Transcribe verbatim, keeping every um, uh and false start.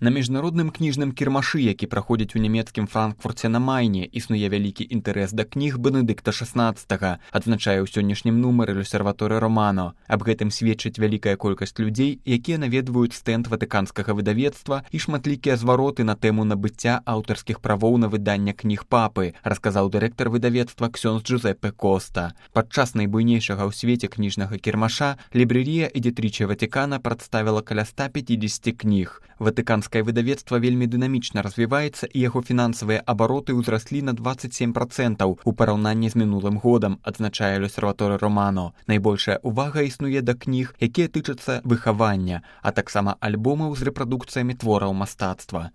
На міжнародным кніжным кірмашы, які праходзіць у нямецкім Франкфурце на Майне, існуе вялікі інтарэс да кніг Бенедыкта шаснаццатага, адзначае ў сённяшнім нумары L'Osservatore Romano. Аб гэтым сведчыць вялікая колькасць людзей, якія наведваюць стэнд ватыканскага выдавецтва і шматлікія звароты на тэму набыцця аўтарскіх правоў на выданне кніг папы, расказаў дырэктар выдавецтва ксёндз Джузеппе Коста. Падчас найбуйнейшага ў свеце кніжнага кірмаша Лібрэрія Эдитріче Ватикана прадставіла каля ста пяцідзесяці кніг. Ватыканскае выдавецтва вельмі дынамічна развіваецца і яго фінансавыя абароты ўзраслі на дваццаць сем працэнтаў у параўнанні з мінулым годам, адзначае L'Osservatore Romano. Найбольшая ўвага існуе да кніг, якія тычацца выхавання, а таксама альбомаў з рэпрадукцыямі твораў мастацтва.